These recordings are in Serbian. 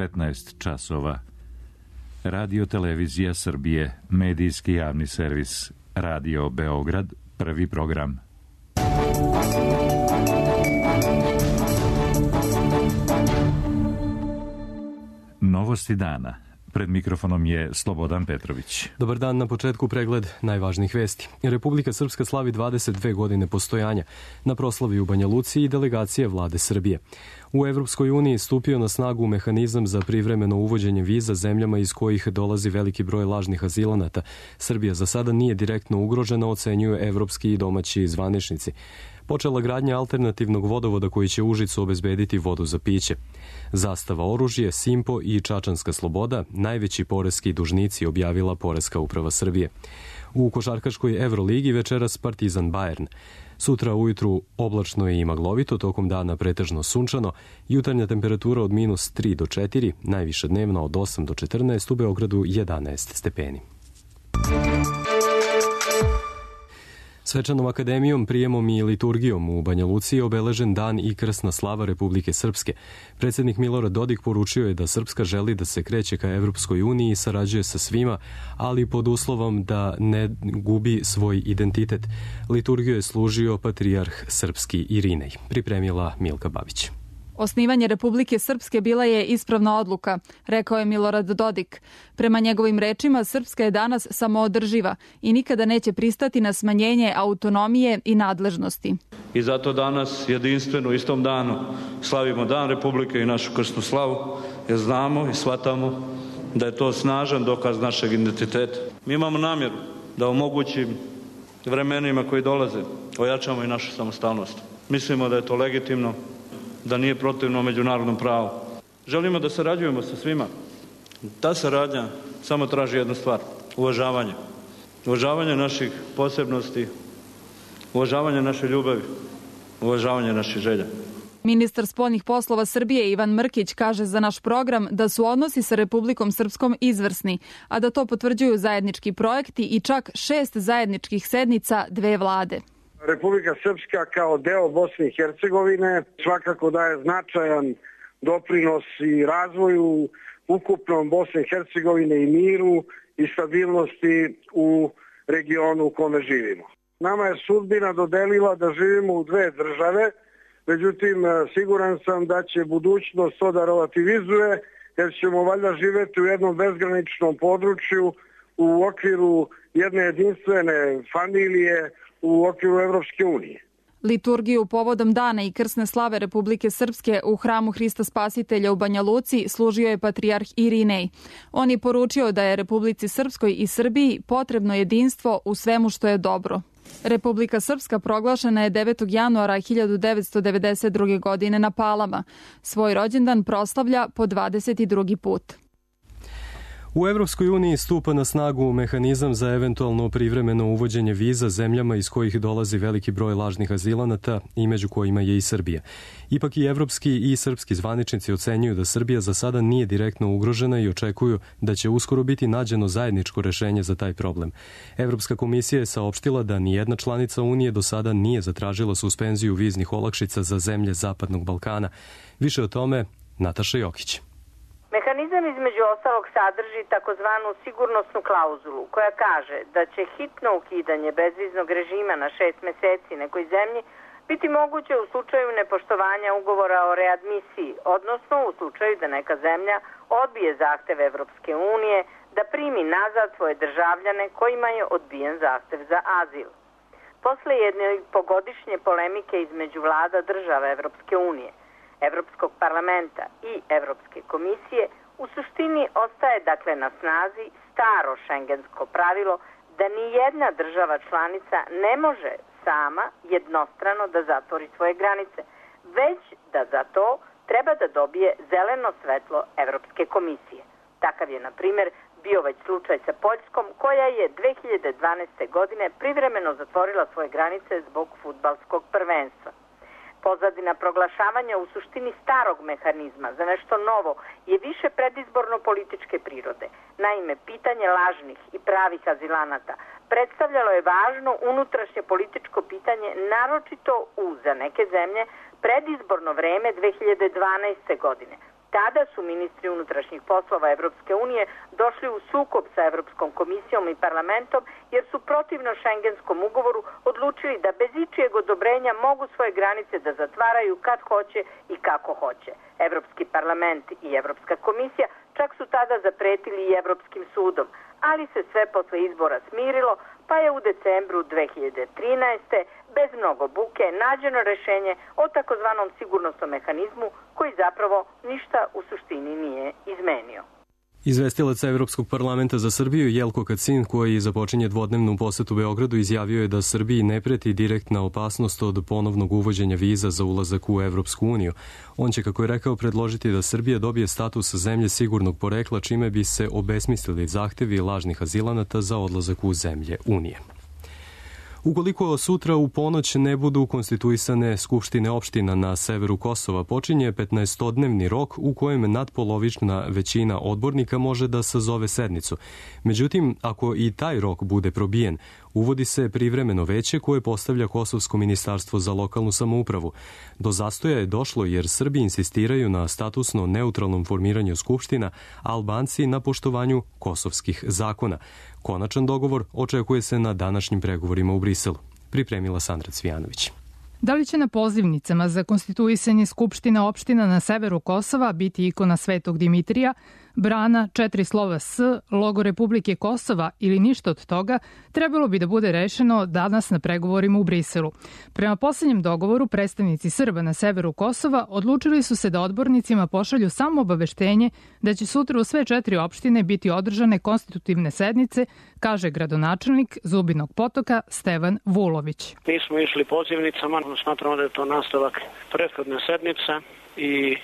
15 časova. Radio Televizija Srbije, medijski javni servis, Radio Beograd, prvi program. Novosti dana. Pred mikrofonom je Slobodan Petrović. Dobar dan, na početku pregled najvažnijih vesti. Republika Srpska slavi 22 godine postojanja. Na proslavi u Banja Luci i delegacije vlade Srbije. U Evropskoj uniji stupio na snagu mehanizam za privremeno uvođenje viza zemljama iz kojih dolazi veliki broj lažnih azilanata. Srbija za sada nije direktno ugrožena, ocenjuju evropski i domaći zvaničnici. Počela gradnja alternativnog vodovoda koji će Užicu obezbediti vodu za piće. Zastava oružje, Simpo i Čačanska sloboda, najveći poreski dužnici, objavila Poreska uprava Srbije. U košarkaškoj Evroligi večeras Partizan Bayern. Sutra ujutru oblačno i maglovito, tokom dana pretežno sunčano, jutarnja temperatura od -3 do 4, najviša dnevna od 8 do 14, u Beogradu 11 stepeni. Svečanom akademijom, prijemom i liturgijom u Banja Luci je obeležen dan i krsna slava Republike Srpske. Predsjednik Milorad Dodik poručio je da Srpska želi da se kreće ka Evropskoj uniji i sarađuje sa svima, ali pod uslovom da ne gubi svoj identitet. Liturgiju je služio patrijarh srpski Irinej. Pripremila Milka Babić. Osnivanje Republike Srpske bila je ispravna odluka, rekao je Milorad Dodik. Prema njegovim rečima, Srpska je danas samoodrživa i nikada neće pristati na smanjenje autonomije i nadležnosti. I zato danas jedinstveno u istom danu slavimo Dan Republike i našu krsnu slavu, jer znamo i shvatamo da je to snažan dokaz našeg identiteta. Mi imamo namjeru da u mogućim vremenima koji dolaze ojačamo i našu samostalnost. Mislimo da je to legitimno, da nije protivno međunarodnom pravu. Želimo da sarađujemo sa svima. Ta saradnja samo traži jednu stvar, uvažavanje. Uvažavanje naših posebnosti, uvažavanje naše ljubavi, uvažavanje naših želja. Ministar spoljnih poslova Srbije Ivan Mrkić kaže za naš program da su odnosi sa Republikom Srpskom izvrsni, a da to potvrđuju zajednički projekti i čak 6 zajedničkih sednica dve vlade. Republika Srpska kao deo Bosne i Hercegovine svakako daje značajan doprinos i razvoju ukupnom Bosne i Hercegovine i miru i stabilnosti u regionu u kome živimo. Nama je sudbina dodelila da živimo u dve države, međutim siguran sam da će budućnost to da relativizuje, jer ćemo valjda živjeti u jednom bezgraničnom području u okviru jedne jedinstvene familije, u okviru Evropske unije. Liturgiju povodom dana i krsne slave Republike Srpske u hramu Hrista Spasitelja u Banja Luci služio je patrijarh Irinej. On je poručio da je Republici Srpskoj i Srbiji potrebno jedinstvo u svemu što je dobro. Republika Srpska proglašena je 9. januara 1992. godine na Palama. Svoj rođendan proslavlja po 22. put. U Evropskoj uniji stupa na snagu mehanizam za eventualno privremeno uvođenje viza zemljama iz kojih dolazi veliki broj lažnih azilanata i među kojima je i Srbija. Ipak i evropski i srpski zvaničnici ocenjuju da Srbija za sada nije direktno ugrožena i očekuju da će uskoro biti nađeno zajedničko rešenje za taj problem. Evropska komisija je saopštila da nijedna članica Unije do sada nije zatražila suspenziju viznih olakšica za zemlje Zapadnog Balkana. Više o tome Nataša Jokić. Mehanizam između ostalog sadrži takozvanu sigurnosnu klauzulu koja kaže da će hitno ukidanje bezviznog režima na 6 meseci nekoj zemlji biti moguće u slučaju nepoštovanja ugovora o readmisiji, odnosno u slučaju da neka zemlja odbije zahtev Evropske unije da primi nazad svoje državljane kojima je odbijen zahtev za azil. Posle jedne pogodišnje polemike između vlada država Evropske unije, Evropskog parlamenta i Evropske komisije, u suštini ostaje dakle na snazi staro šengensko pravilo da ni jedna država članica ne može sama jednostrano da zatvori svoje granice, već da za to treba da dobije zeleno svetlo Evropske komisije. Takav je, na primjer, bio već slučaj sa Poljskom, koja je 2012. godine privremeno zatvorila svoje granice zbog fudbalskog prvenstva. Pozadina proglašavanja u suštini starog mehanizma za nešto novo je više predizborno političke prirode. Naime, pitanje lažnih i pravih azilanata predstavljalo je važno unutrašnje političko pitanje, naročito u za neke zemlje predizborno vreme 2012. godine. tada su ministri unutrašnjih poslova Evropske unije došli u sukob sa Evropskom komisijom i parlamentom jer su protivno Šengenskom ugovoru odlučili da bez ičijeg odobrenja mogu svoje granice da zatvaraju kad hoće i kako hoće. Evropski parlament i Evropska komisija čak su tada zapretili i Evropskim sudom, ali se sve posle izbora smirilo, pa je u decembru 2013. bez mnogo buke nađeno rešenje o takozvanom sigurnosnom mehanizmu koji zapravo ništa u suštini nije izmenio. Izvestilac Evropskog parlamenta za Srbiju Jelko Kacin, koji započinje dvodnevnu posetu Beogradu, izjavio je da Srbiji ne preti direktna opasnost od ponovnog uvođenja viza za ulazak u Evropsku uniju. On će, kako je rekao, predložiti da Srbija dobije status zemlje sigurnog porekla, čime bi se obesmislili zahtevi lažnih azilanata za odlazak u zemlje Unije. Ukoliko sutra u ponoć ne budu konstituisane skupštine opština na severu Kosova, počinje 15-dnevni rok u kojem nadpolovična većina odbornika može da sazove sednicu. Međutim, ako i taj rok bude probijen, uvodi se privremeno veće koje postavlja Kosovsko ministarstvo za lokalnu samoupravu. Do zastoja je došlo jer Srbi insistiraju na statusno neutralnom formiranju skupština, a Albanci na poštovanju kosovskih zakona. Konačan dogovor očekuje se na današnjim pregovorima u Briselu. Pripremila Sandra Cvijanović. Da li će na pozivnicama za konstituisanje skupština opština na severu Kosova biti ikona Svetog Dimitrija, brana, 4 slova S, logo Republike Kosova ili ništa od toga, trebalo bi da bude rešeno danas na pregovorima u Briselu. Prema poslednjem dogovoru, predstavnici Srba na severu Kosova odlučili su se da odbornicima pošalju samo obaveštenje da će sutra u sve 4 opštine biti održane konstitutivne sednice, kaže gradonačelnik Zubinog Potoka Stevan Vulović. Mi smo išli pozivnicama, smatramo da je to nastavak prethodne sednice i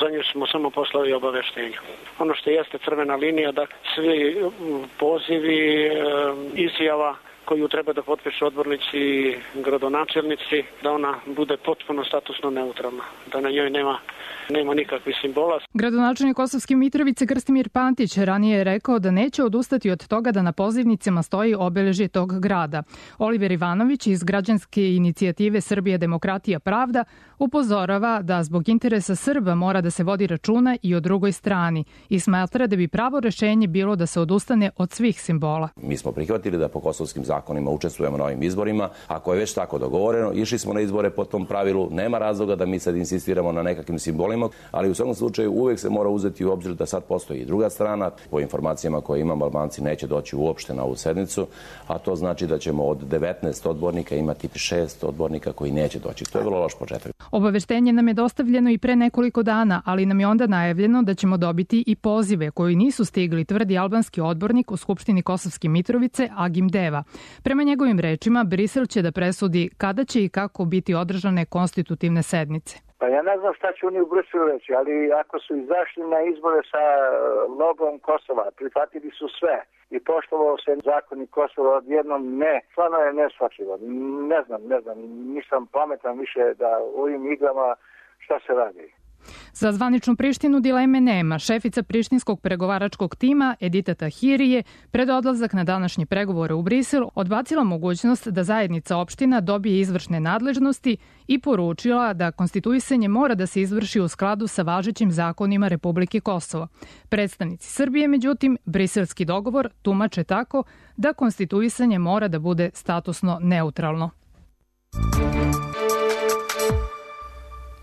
za nju smo samo poslali obaveštenje. Ono što jeste crvena linija, da svi pozivi, izjava koju treba da potpišu odbornici i gradonačelnici, da ona bude potpuno statusno neutralna, da na njoj nema nikakvih simbola. Gradonačelnik Kosovske Mitrovice Krstimir Pantić ranije je rekao da neće odustati od toga da na pozivnicama stoji obeležje tog grada. Oliver Ivanović iz građanske inicijative Srbija, demokratija, pravda upozorava da zbog interesa Srba mora da se vodi računa i o drugoj strani i smatra da bi pravo rešenje bilo da se odustane od svih simbola. Mi smo prihvatili da po kosovskim zakonima učestvujemo na ovim izborima. Ako je već tako dogovoreno, išli smo na izbore po tom pravilu, nema razloga da mi sad insistiramo na nekakvim simbolima, ali u svakom slučaju uvek se mora uzeti u obzir da sad postoji i druga strana. Po informacijama koje imamo, Albanci neće doći uopšte na ovu sednicu, a to znači da ćemo od 19 odbornika imati 6 odbornika koji neće doći. To je vrlo loš početak. Obaveštenje nam je dostavljeno i pre nekoliko dana, ali nam je onda najavljeno da ćemo dobiti i pozive koji nisu stigli, tvrdi albanski odbornik u Skupštini Kosovske Mitrovice Agim Deva. Prema njegovim rečima, Brisel će da presudi kada će i kako biti održane konstitutivne sednice. Pa ja ne znam šta će oni u Briselu reći, ali ako su izašli na izbore sa logom Kosova, prihvatili su sve i poštovao se zakoni Kosova, odjednom ne. Stvarno je neshvatljivo. Ne znam, nisam pametan više da u ovim igrama šta se radi. Za zvaničnu Prištinu dileme nema. Šefica prištinskog pregovaračkog tima Edita Tahiri je pred odlazak na današnje pregovore u Brisel odbacila mogućnost da zajednica opština dobije izvršne nadležnosti i poručila da konstituisanje mora da se izvrši u skladu sa važećim zakonima Republike Kosovo. Predstavnici Srbije, međutim, briselski dogovor tumače tako da konstituisanje mora da bude statusno neutralno.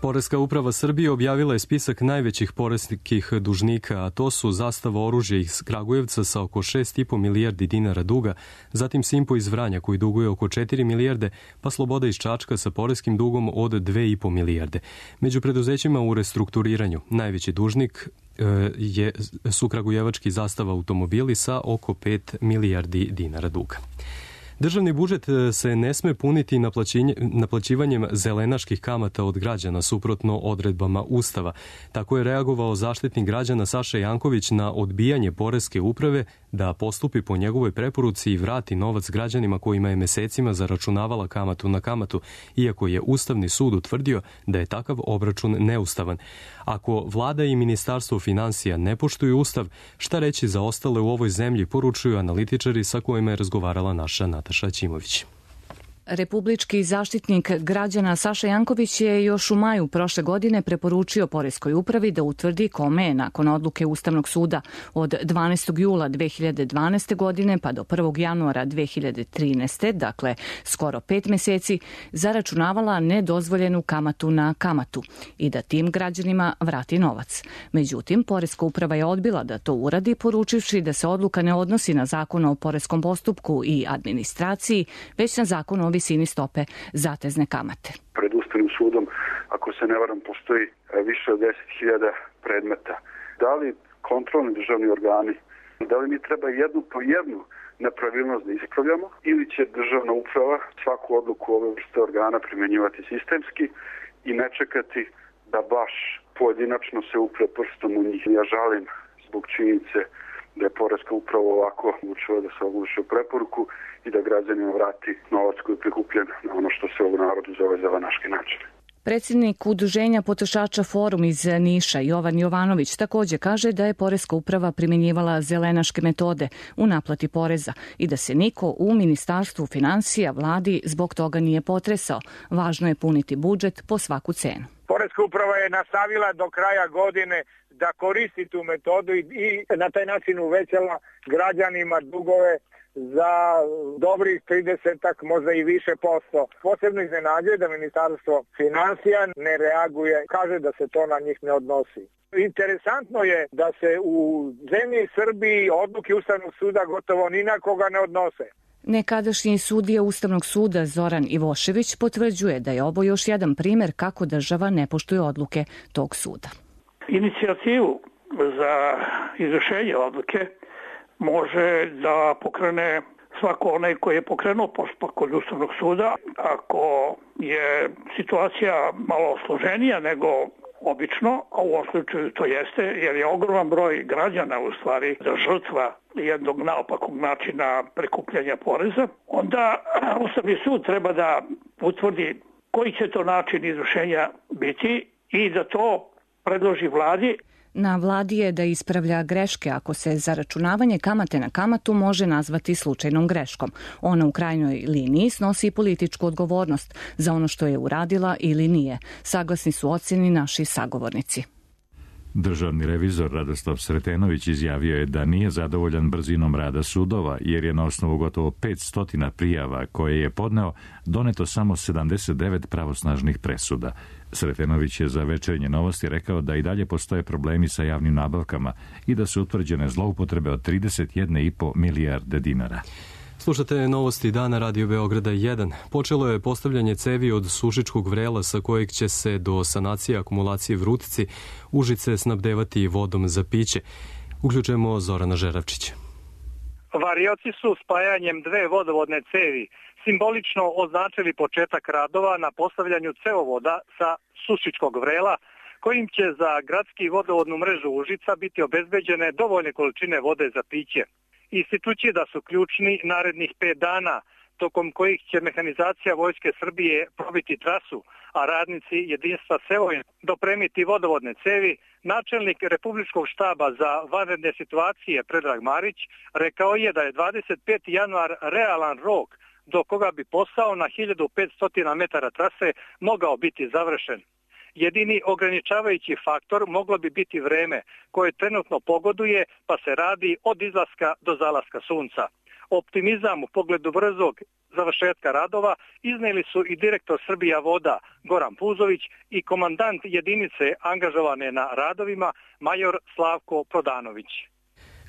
Poreska uprava Srbije objavila je spisak najvećih poreskih dužnika, a to su Zastava oružja iz Kragujevca sa oko 6,5 milijardi dinara duga, zatim Simpo iz Vranja koji duguje oko 4 milijarde, pa Sloboda iz Čačka sa poreskim dugom od 2,5 milijarde. Među preduzećima u restrukturiranju najveći dužnik su kragujevački Zastava automobili sa oko 5 milijardi dinara duga. Državni budžet se ne sme puniti naplaćivanjem zelenaških kamata od građana suprotno odredbama Ustava. Tako je reagovao Zaštitnik građana Saša Janković na odbijanje poreske uprave da postupi po njegovoj preporuci i vrati novac građanima kojima je mesecima zaračunavala kamatu na kamatu, iako je Ustavni sud utvrdio da je takav obračun neustavan. Ako vlada i Ministarstvo finansija ne poštuju Ustav, šta reći za ostale u ovoj zemlji, poručuju analitičari sa kojima je razgovarala naša Nataša Ćimović. Republički zaštitnik građana Saša Janković je još u maju prošle godine preporučio Poreskoj upravi da utvrdi kome je nakon odluke Ustavnog suda od 12. jula 2012. godine pa do 1. januara 2013. dakle skoro 5 meseci, zaračunavala nedozvoljenu kamatu na kamatu i da tim građanima vrati novac. Međutim, Poreska uprava je odbila da to uradi, poručivši da se odluka ne odnosi na Zakon o poreskom postupku i administraciji, već na Zakon o visini stope zatezne kamate. Pred Ustavnim sudom, ako se ne varam, postoji više od 10.000 predmeta. Da li kontrolni državni organi, da li mi treba jednu po jednu nepravilnost da ispravljamo ili će državna uprava svaku odluku ove vrste organa primjenjivati sistemski i ne čekati da baš pojedinačno se upre prstom u njih. Ja žalim zbog činjenice da je Poreska uprava ovako odlučila da se ogluši o preporuku i da građanima vrati novac koji je prikupljen na ono što se u narodu zove zelenaški način. Predsjednik Udruženja potrošača Forum iz Niša, Jovan Jovanović, također kaže da je Poreska uprava primjenjivala zelenaške metode u naplati poreza i da se niko u Ministarstvu finansija, vladi zbog toga nije potresao. Važno je puniti budžet po svaku cenu. Poreska uprava je nastavila do kraja godine da koristi tu metodu i na taj način uvećala građanima dugove za dobrih 30, možda i više posto. Posebno iznenađuje da Ministarstvo finansija ne reaguje, kaže da se to na njih ne odnosi. Interesantno je da se u zemlji Srbiji odluke Ustavnog suda gotovo ni na koga ne odnose. Nekadašnji sudija Ustavnog suda Zoran Ivošević potvrđuje da je ovo još jedan primjer kako država ne poštuje odluke tog suda. Inicijativu za izvršenje odluke može da pokrene svako onaj koji je pokrenuo postupak kod Ustavnog suda. Ako je situacija malo složenija nego obično, a u ovom slučaju to jeste, jer je ogroman broj građana u stvari žrtva jednog naopakog načina prikupljanja poreza, onda Ustavni sud treba da utvrdi koji će to način izvršenja biti i da to predloži vladi. Na vladi je da ispravlja greške ako se zaračunavanje kamate na kamatu može nazvati slučajnom greškom. Ona u krajnjoj liniji snosi političku odgovornost za ono što je uradila ili nije. Saglasni su ocjeni naši sagovornici. Državni revizor Radoslav Sretenović izjavio je da nije zadovoljan brzinom rada sudova, jer je na osnovu gotovo 500 prijava koje je podneo doneto samo 79 pravosnažnih presuda. Sretenović je za Večernje novosti rekao da i dalje postoje problemi sa javnim nabavkama i da su utvrđene zloupotrebe od 31,5 milijarde dinara. Slušate novosti dana Radio Beograda 1. Počelo je postavljanje cevi od Sušičkog vrela sa kojeg će se do sanacije akumulacije Vrutici Užice snabdevati vodom za piće. Uključujemo Zorana Žeravčića. Varioci su spajanjem dve vodovodne cevi simbolično označili početak radova na postavljanju cevovoda sa Sušičkog vrela, kojim će za gradski vodovodnu mrežu Užica biti obezbeđene dovoljne količine vode za piće. Ističući da su ključni narednih 5 dana, tokom kojih će mehanizacija Vojske Srbije probiti trasu, a radnici jedinstva Sevojin dopremiti vodovodne cevi, načelnik Republičkog štaba za vanredne situacije Predrag Marić rekao je da je 25. januar realan rok do koga bi posao na 1500 metara trase mogao biti završen. Jedini ograničavajući faktor moglo bi biti vreme koje trenutno pogoduje, pa se radi od izlaska do zalaska sunca. Optimizam u pogledu brzog završetka radova iznijeli su i direktor Srbija voda Goran Puzović i komandant jedinice angažovane na radovima major Slavko Prodanović.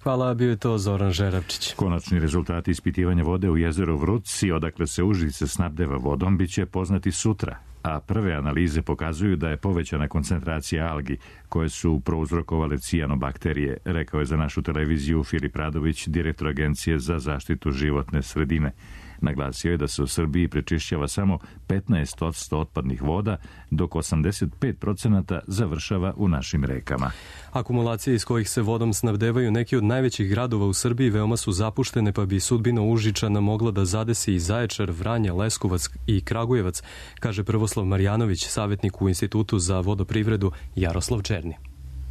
Hvala, bio je to Zoran Žeravčić. Konačni rezultati ispitivanja vode u jezeru Vrutci, odakle se Užice snabdeva vodom, bit će poznati sutra, a prve analize pokazuju da je povećana koncentracija algi koje su prouzrokovale cijanobakterije, rekao je za našu televiziju Filip Radović, direktor Agencije za zaštitu životne sredine. Naglasio je da se u Srbiji prečišćava samo 15% otpadnih voda, dok 85% završava u našim rekama. Akumulacije iz kojih se vodom snabdevaju neki od najvećih gradova u Srbiji veoma su zapuštene, pa bi sudbina Užičana mogla da zadesi i Zaječar, Vranje, Leskovac i Kragujevac, kaže Prvoslav Marjanović, savjetnik u Institutu za vodoprivredu Jaroslav Černi.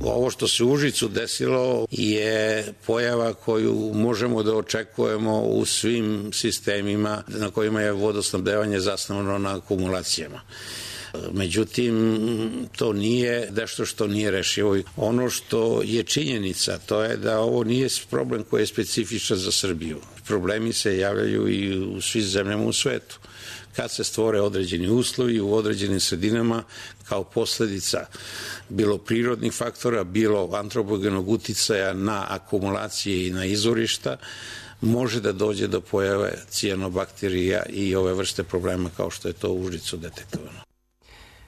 Ovo što se u Užicu desilo je pojava koju možemo da očekujemo u svim sistemima na kojima je vodosnabdevanje zasnovano na akumulacijama. Međutim, to nije nešto što nije rešivo. Ono što je činjenica, to je da ovo nije problem koji je specifičan za Srbiju. Problemi se javljaju i u svim zemljama u svetu. Kad se stvore određeni uslovi u određenim sredinama kao posledica bilo prirodnih faktora, bilo antropogenog uticaja na akumulacije i na izvorišta, može da dođe do pojave cijanobakterija i ove vrste problema kao što je to u Užicu detektovano.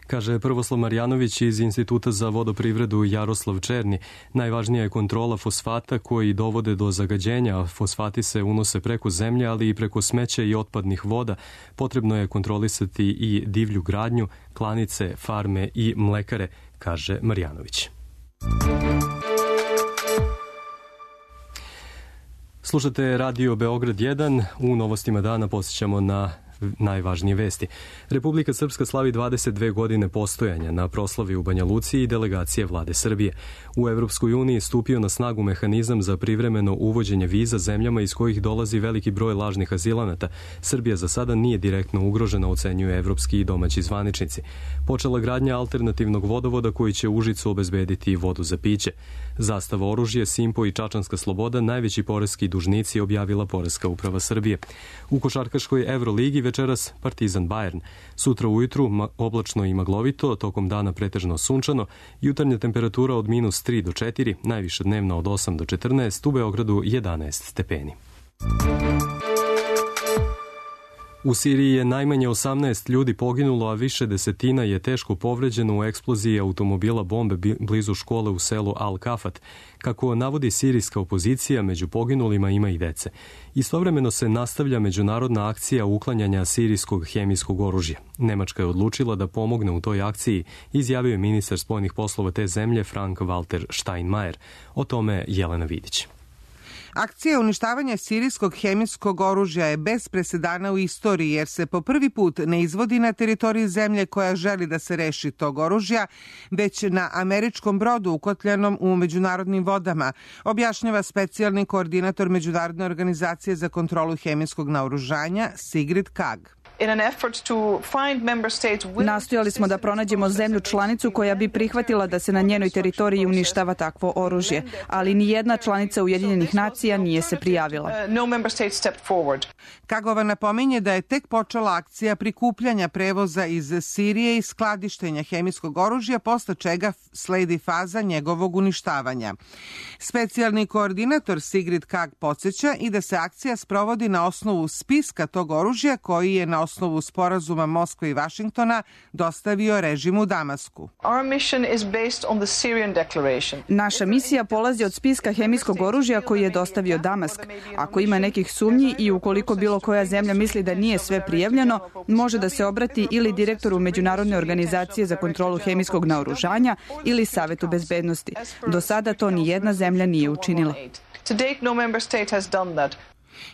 Kaže Prvoslav Marjanović iz Instituta za vodoprivredu Jaroslav Černi. Najvažnija je kontrola fosfata koji dovode do zagađenja. Fosfati se unose preko zemlje, ali i preko smeća i otpadnih voda. Potrebno je kontrolisati i divlju gradnju, klanice, farme i mlekare, kaže Marjanović. Slušate Radio Beograd 1. U novostima dana posjećamo na najvažnije vesti. Republika Srpska slavi 22 godine postojanja. Na proslavi u Banja Luci i delegacije vlade Srbije. U Evropskoj uniji stupio na snagu mehanizam za privremeno uvođenje viza zemljama iz kojih dolazi veliki broj lažnih azilanata. Srbija za sada nije direktno ugrožena, ocenjuju evropski i domaći zvaničnici. Počela gradnja alternativnog vodovoda koji će Užicu obezbediti vodu za piće. Zastava oružje, Simpo i Čačanska sloboda najveći poreski dužnici objavila Poreska uprava Srbije. U košarkaškoj Evroligi večeras Partizan Bayern. Sutra ujutru oblačno i maglovito, tokom dana pretežno sunčano, jutarnja temperatura od -3 do 4, najviša dnevna od 8 do 14, u Beogradu 11 stepeni. U Siriji je najmanje 18 ljudi poginulo, a više desetina je teško povređeno u eksploziji automobila bombe blizu škole u selu Al-Kafat. Kako navodi sirijska opozicija, među poginulima ima i dece. Istovremeno se nastavlja međunarodna akcija uklanjanja sirijskog hemijskog oružja. Nemačka je odlučila da pomogne u toj akciji, izjavio je ministar spoljnih poslova te zemlje Frank-Walter Steinmeier. O tome Jelena Vidić. Akcija uništavanja sirijskog hemijskog oružja je bez presedana u istoriji jer se po prvi put ne izvodi na teritoriji zemlje koja želi da se reši tog oružja, već na američkom brodu ukotljanom u međunarodnim vodama, objašnjava specijalni koordinator Međunarodne organizacije za kontrolu hemijskog naoružanja Sigrid Kaag. Nastojali smo da pronađemo zemlju članicu koja bi prihvatila da se na njenoj teritoriji uništava takvo oružje, ali ni jedna članica Ujedinjenih nacija nije se prijavila. Kagova napominje da je tek počela akcija prikupljanja prevoza iz Sirije i skladištenja hemijskog oružja, posle čega sledi faza njegovog uništavanja. Specijalni koordinator Sigrid Kaag podsjeća i da se akcija sprovodi na osnovu spiska tog oružja koji je na osnovu sporazuma Moskve i Vašingtona dostavio režim u Damasku. Naša misija polazi od spiska hemijskog oružja koji je dostavio Damask. Ako ima nekih sumnji i ukoliko bilo koja zemlja misli da nije sve prijavljeno, može da se obrati ili direktoru Međunarodne organizacije za kontrolu hemijskog naoružanja ili Savetu bezbednosti. Do sada to ni jedna zemlja nije učinila.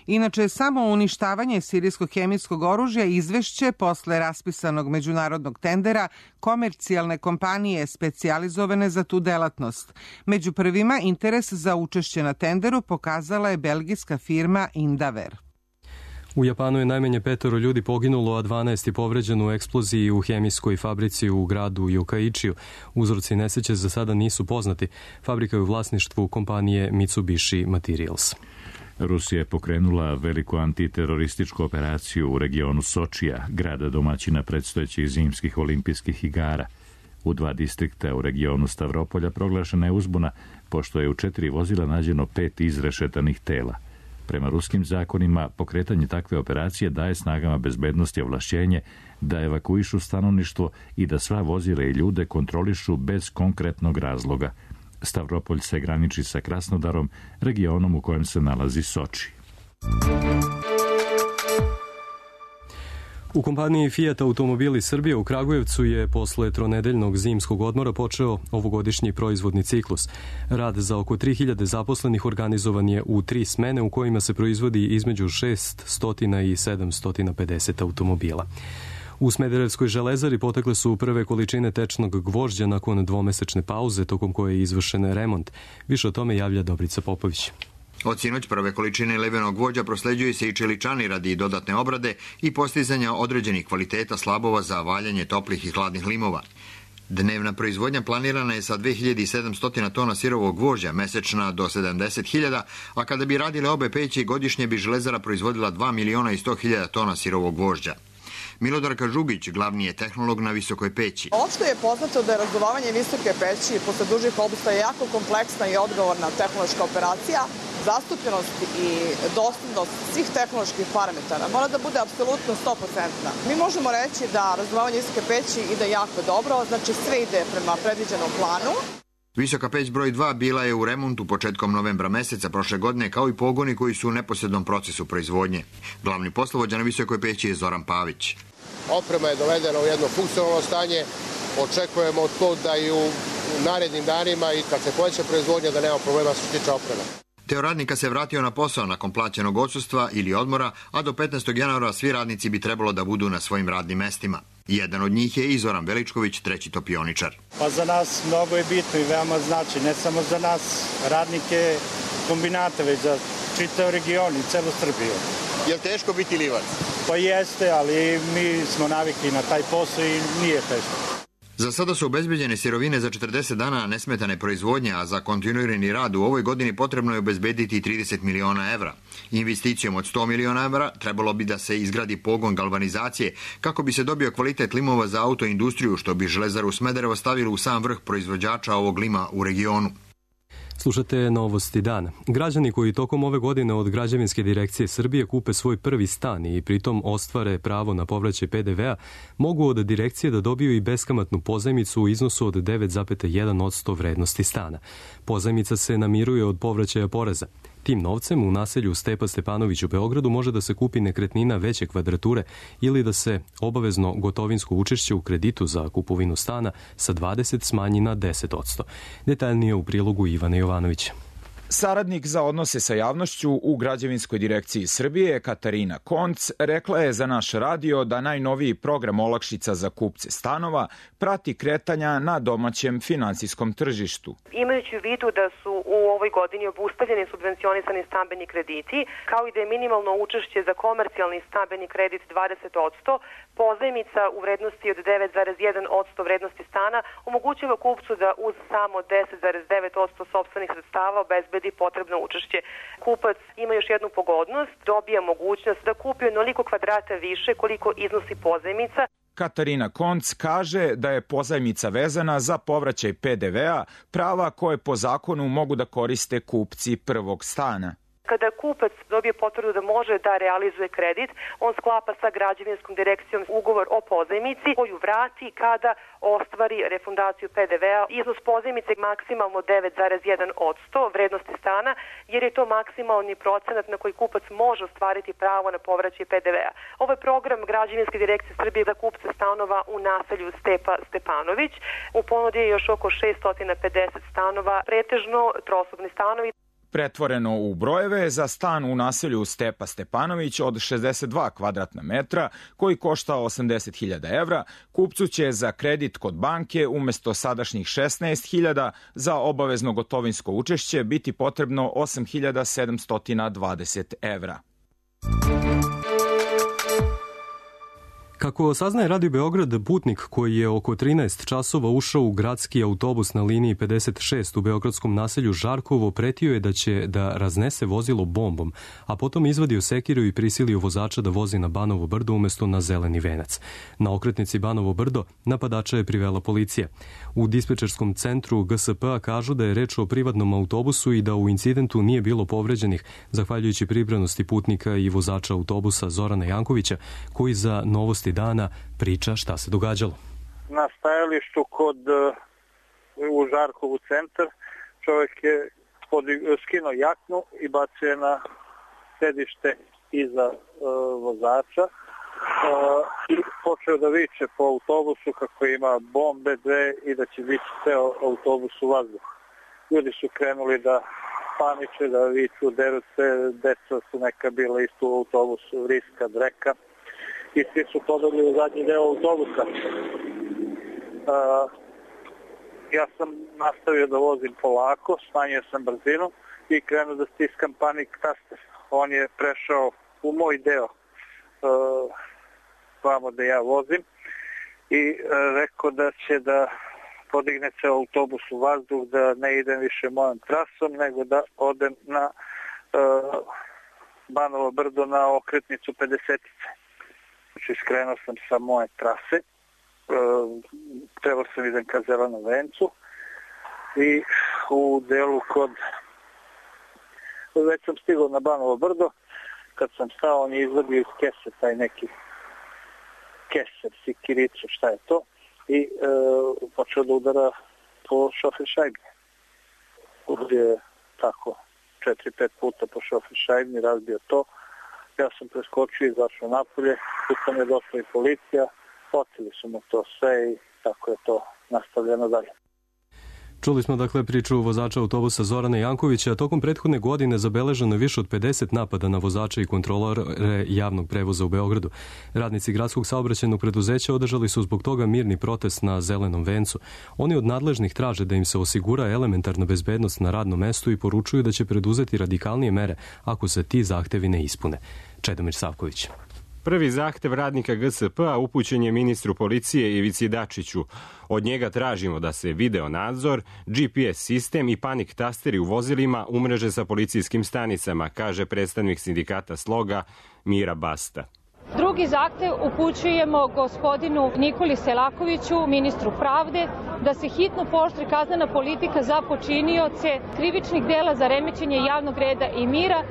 Inače, samo uništavanje sirijskog hemijskog oružja izvešće posle raspisanog međunarodnog tendera komercijalne kompanije specijalizovane za tu delatnost. Među prvima interes za učešće na tenderu pokazala je belgijska firma Indaver. U Japanu je najmanje 5 ljudi poginulo, a 12 je povređeno u eksploziji u hemijskoj fabrici u gradu Yokkaichiju. Uzroci nesreće za sada nisu poznati. Fabrika je u vlasništvu kompanije Mitsubishi Materials. Rusija je pokrenula veliku antiterorističku operaciju u regionu Sočija, grada domaćina predstojećih zimskih olimpijskih igara. U 2 distrikta u regionu Stavropolja proglašena je uzbuna, pošto je u 4 vozila nađeno 5 izrešetanih tela. Prema ruskim zakonima, pokretanje takve operacije daje snagama bezbednosti ovlašćenje da evakuišu stanovništvo i da sva vozila i ljude kontrolišu bez konkretnog razloga. Stavropolj se graniči sa Krasnodarom, regionom u kojem se nalazi Soči. U kompaniji Fiat Automobili Srbije u Kragujevcu je posle tronedeljnog zimskog odmora počeo ovogodišnji proizvodni ciklus. Rad za oko 3000 zaposlenih organizovan je u 3 smene u kojima se proizvodi između 600 i 750 automobila. U Smederevskoj železari potekle su prve količine tečnog gvožđa nakon dvomesečne pauze tokom koje je izvršen remont. Više o tome javlja Dobrica Popović. Od sinoć prve količine levenog gvožđa prosleđuje se i čeličani radi dodatne obrade i postizanja određenih kvaliteta slabova za valjanje toplih i hladnih limova. Dnevna proizvodnja planirana je sa 2700 tona sirovog gvožđa, mesečna do 70.000, a kada bi radile obe peći, godišnje bi železara proizvodila 2.100.000 tona sirovog gvožđa. Milodarka Žugić, glavni je tehnolog na visokoj peći. Opšte je poznato da je razduvavanje visoke peći posle dužih obustaja jako kompleksna i odgovorna tehnološka operacija. Zastupljenost i doslednost svih tehnoloških parametara mora da bude apsolutno 100%. Mi možemo reći da razduvavanje visoke peći ide jako dobro, znači sve ide prema predviđenom planu. Visoka peć broj 2 bila je u remontu početkom novembra meseca prošle godine, kao i pogoni koji su u neposrednom procesu proizvodnje. Glavni poslovođa na visokoj peći je Zoran Pavić. Oprema je dovedena u jedno funkcionalno stanje. Očekujemo to da i u narednim danima i kad se poveća proizvodnja da nema problema što se tiče opreme. Deo radnika se vratio na posao nakon plaćenog odsustva ili odmora, a do 15. januara svi radnici bi trebalo da budu na svojim radnim mestima. Jedan od njih je i Zoran Veličković, treći topioničar. Pa za nas mnogo je bitno i veoma znači, ne samo za nas radnike kombinata, već za čitav region i celu Srbiju. Je li teško biti livac? Pa jeste, ali mi smo navikli na taj posao i nije teško. Za sada su obezbeđene sirovine za 40 dana nesmetane proizvodnje, a za kontinuirani rad u ovoj godini potrebno je obezbediti 30 miliona evra. Investicijom od 100 miliona evra trebalo bi da se izgradi pogon galvanizacije kako bi se dobio kvalitet limova za autoindustriju, što bi železaru Smederevo stavilo u sam vrh proizvođača ovog lima u regionu. Slušate Novosti dana. Građani koji tokom ove godine od Građevinske direkcije Srbije kupe svoj prvi stan i pritom ostvare pravo na povraćaj PDV-a, mogu od direkcije da dobiju i beskamatnu pozajmicu u iznosu od 9,1% vrednosti stana. Pozajmica se namiruje od povraćaja poreza. Tim novcem u naselju Stepa Stepanović u Beogradu može da se kupi nekretnina veće kvadrature ili da se obavezno gotovinsko učešće u kreditu za kupovinu stana sa 20 smanji na 10%. Detaljnije u prilogu Ivana Jovanovića. Saradnik za odnose sa javnošću u Građevinskoj direkciji Srbije, Katarina Konc, rekla je za naš radio da najnoviji program olakšica za kupce stanova prati kretanja na domaćem finansijskom tržištu. Imajući u vidu da su u ovoj godini obustavljeni subvencionisani stambeni krediti, kao i da je minimalno učešće za komercijalni stambeni kredit 20%, pozajmica u vrednosti od 9,1% vrednosti stana omogućava kupcu da uz samo 10,9% sopstvenih sredstava obezbedi potrebno učešće. Kupac ima još jednu pogodnost, dobija mogućnost da kupi onoliko kvadrata više koliko iznosi pozajmica. Katarina Konc kaže da je pozajmica vezana za povraćaj PDV-a, prava koje po zakonu mogu da koriste kupci prvog stana. Kada kupac dobije potvrdu da može da realizuje kredit, on sklapa sa Građevinskom direkcijom ugovor o pozajmici koju vrati kada ostvari refundaciju PDV-a. Iznos pozajmice je maksimalno 9,1% vrednosti stana, jer je to maksimalni procenat na koji kupac može ostvariti pravo na povraćaj PDV-a. Ovo je program Građevinske direkcije Srbije za kupce stanova u naselju Stepa Stepanović. U ponudi je još oko 650 stanova, pretežno trosobni stanovi. Pretvoreno u brojeve, za stan u naselju Stepa Stepanović od 62 kvadratna metra, koji košta 80.000 evra, kupcu će za kredit kod banke umesto sadašnjih 16.000 za obavezno gotovinsko učešće biti potrebno 8.720 evra. Kako saznaje Radio Beograd, putnik koji je oko 13 časova ušao u gradski autobus na liniji 56 u beogradskom naselju Žarkovo pretio je da će da raznese vozilo bombom, a potom izvadio sekiru i prisilio vozača da vozi na Banovo brdo umesto na Zeleni venac. Na okretnici Banovo brdo napadača je privela policija. U dispečerskom centru GSP-a kažu da je reč o privatnom autobusu i da u incidentu nije bilo povređenih, zahvaljujući pribranosti putnika i vozača autobusa Zorana Jankovića, koji za Novosti dana priča šta se događalo. Na stajalištu u Žarkovu centar čovjek je skinuo jaknu i bacio je na sedište iza vozača i počeo da viče po autobusu kako ima bombe dve i da će biti ceo autobus u vazduhu. Ljudi su krenuli da paniče, da viču, deru se, deca su neka bila isto u autobusu, vriska, dreka. i svi su pobegli u zadnji deo autobusa. Ja sam nastavio da vozim polako, smanjio sam brzinu i krenuo da stiskam panic taster. On je prešao u moj deo vamo da ja vozim i rekao da će da podigne se autobus u vazduh, da ne idem više mojom trasom, nego da odem na Banovo Brdo na okretnicu 50-ice. Znači, skrenuo sam sa moje trase, trebao sam idem ka Zelenom vencu i u delu već sam stigao na Banovo Brdo, kad sam stao on je izvadio iz kese taj neki keser, sikiricu, šta je to, i počeo da udara po šofer šajbi. Udario je tako 4-5 puta po šofer šajbi, razbio to. Ja sam preskočio i izašao napolje, tu sam je došla i policija, oteli su mu to sve i tako je to nastavljeno dalje. Čuli smo dakle priču vozača autobusa Zorana Jankovića, a tokom prethodne godine zabeleženo je više od 50 napada na vozača i kontrolore javnog prevoza u Beogradu. Radnici gradskog saobraćajnog preduzeća održali su zbog toga mirni protest na Zelenom vencu. Oni od nadležnih traže da im se osigura elementarna bezbednost na radnom mestu i poručuju da će preduzeti radikalnije mere ako se ti zahtevi ne ispune. Čedomir Savković. Prvi zahtev radnika GSP-a upućen je ministru policije Ivici Dačiću. Od njega tražimo da se video nadzor, GPS sistem i panik tasteri u vozilima umreže sa policijskim stanicama, kaže predstavnik sindikata Sloga Mira Basta. Drugi zahtev upućujemo gospodinu Nikoli Selakoviću, ministru pravde, da se hitno pooštri kaznena politika za počinioce krivičnih dela za remećenje javnog reda i mira.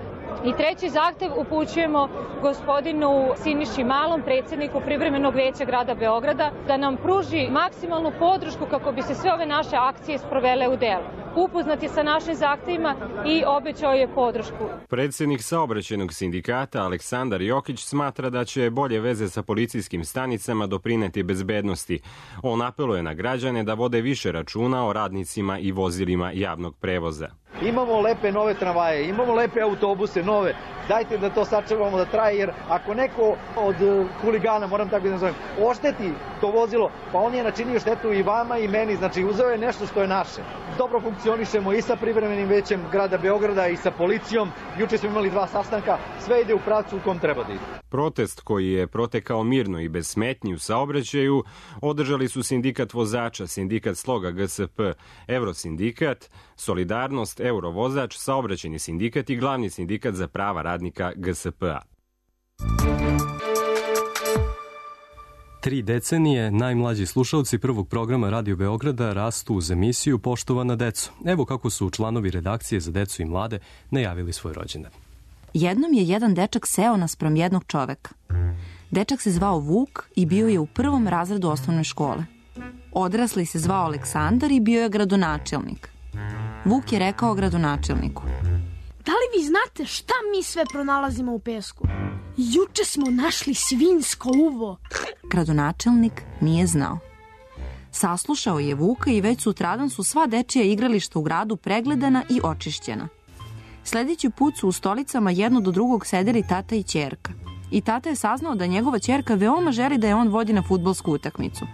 I treći zahtev upućujemo gospodinu Siniši Malom, predsjedniku Privremenog veća grada Beograda, da nam pruži maksimalnu podršku kako bi se sve ove naše akcije sprovele u delo. Upoznat je sa našim zahtevima i obećao je podršku. Predsjednik saobraćajnog sindikata Aleksandar Jokić smatra da će bolje veze sa policijskim stanicama doprineti bezbednosti. On apeluje na građane da vode više računa o radnicima i vozilima javnog prevoza. Imamo lepe nove tramvaje, imamo lepe autobuse nove. Dajte da to sačuvamo da traje, jer ako neko od huligana, moram tako da nazovem, ošteti to vozilo, pa on je načinio štetu i vama i meni, znači uzeo je nešto što je naše. Dobro funkcionišemo i sa privremenim većem grada Beograda i sa policijom. Juče smo imali 2 sastanka, sve ide u pravcu u kom treba da ide. Protest koji je protekao mirno i bez smetnji u saobraćaju održali su sindikat vozača, sindikat Sloga GSP, Eurosindikat, Solidarnost, Eurovozač, saobraćajni sindikat i glavni sindikat za prava radnika GSP-a. 3 decenije najmlađi slušalci prvog programa Radio Beograda rastu uz emisiju Poštovana deco. Evo kako su članovi redakcije za decu i mlade najavili svoj rođendan. Jednom je jedan dečak seo naspram jednog čoveka. Dečak se zvao Vuk i bio je u 1. razredu osnovne škole. Odrasli se zvao Aleksandar i bio je gradonačelnik. Vuk je rekao gradonačelniku: Da li vi znate šta mi sve pronalazimo u pesku? Juče smo našli svinjsko uvo. Gradonačelnik nije znao. Saslušao je Vuka i već sutradan su sva dečija igrališta u gradu pregledana i očišćena. Sljedeći put su u stolicama jedno do drugog sedeli tata i ćerka. I tata je saznao da njegova ćerka veoma želi da je on vodi na fudbalsku utakmicu.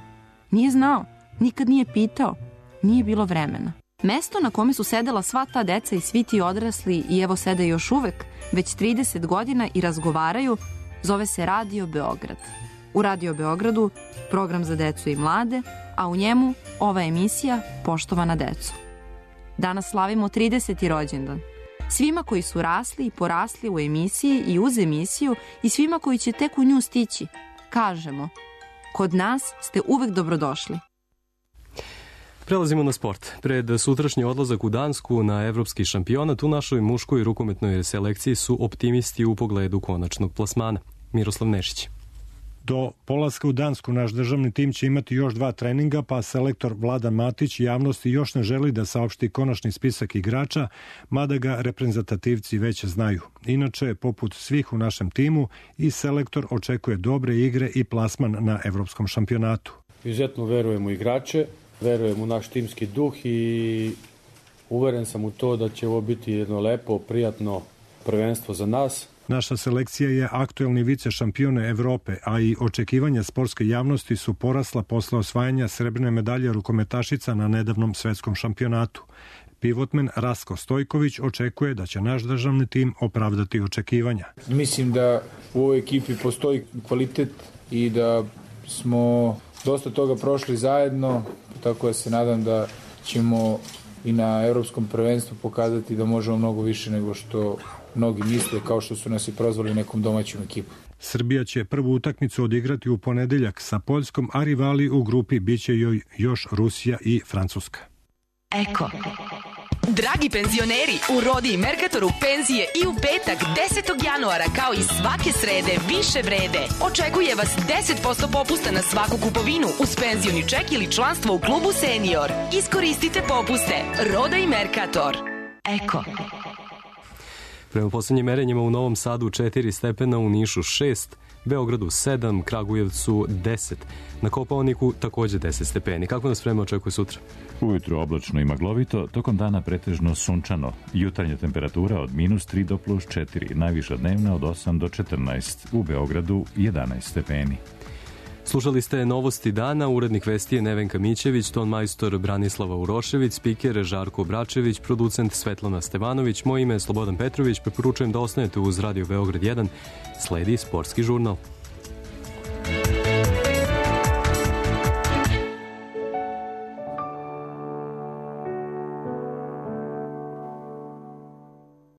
Nije znao, nikad nije pitao, nije bilo vremena. Mesto na kome su sedela sva ta deca i svi ti odrasli i evo sede još uvek, već 30 godina i razgovaraju, zove se Radio Beograd. U Radio Beogradu program za decu i mlade, a u njemu ova emisija Poštovana deco. Danas slavimo 30. rođendan. Svima koji su rasli i porasli u emisiji i uz emisiju i svima koji će tek u nju stići, kažemo: kod nas ste uvek dobrodošli. Prelazimo na sport. Pred sutrašnji odlazak u Dansku na evropski šampionat u našoj muškoj rukometnoj selekciji su optimisti u pogledu konačnog plasmana. Miroslav Nešić. Do polaska u Dansku naš državni tim će imati još 2 treninga, pa selektor Vladan Matić javnosti još ne želi da saopšti konačni spisak igrača, mada ga reprezentativci već znaju. Inače, poput svih u našem timu, i selektor očekuje dobre igre i plasman na evropskom šampionatu. Izuzetno verujem u igrače, verujem u naš timski duh i uveren sam u to da će ovo biti jedno lepo, prijatno prvenstvo za nas. Naša selekcija je aktuelni vice šampione Evrope, a i očekivanja sportske javnosti su porasla posle osvajanja srebrne medalje rukometašica na nedavnom svetskom šampionatu. Pivotmen Rasko Stojković očekuje da će naš državni tim opravdati očekivanja. Mislim da u ovoj ekipi postoji kvalitet i da smo dosta toga prošli zajedno, tako da se nadam da ćemo i na Evropskom prvenstvu pokazati da možemo mnogo više nego što mnogi misle, kao što su nas i prozvali nekom domaćom ekipom. Srbija će prvu utakmicu odigrati u ponedeljak sa Poljskom, a rivali u grupi biće joj još Rusija i Francuska. Eko. Dragi penzioneri, u Rodi i Mercatoru penzije i u petak 10. januara kao i svake srede više vrede. Očekuje vas 10% popusta na svaku kupovinu uz penzioni ček ili članstvo u klubu Senior. Iskoristite popuste. Roda i Mercator. Eko. Prema poslednjim merenjima u Novom Sadu 4 stepena, u Nišu 6, Beogradu 7, Kragujevcu 10. Na Kopaoniku takođe 10 stepeni. Kako nas vreme očekuje sutra? Ujutru oblačno i maglovito, tokom dana pretežno sunčano. Jutarnja temperatura od -3 do +4, najviša dnevna od 8 do 14. U Beogradu 11 stepeni. Slušali ste novosti dana, urednik vesti je Nevenka Mićević, ton majstor Branislava Urošević, spiker Žarko Bračević, producent Svetlana Stevanović, moje ime je Slobodan Petrović, preporučujem da ostanete uz Radio Beograd 1, sledi sportski žurnal.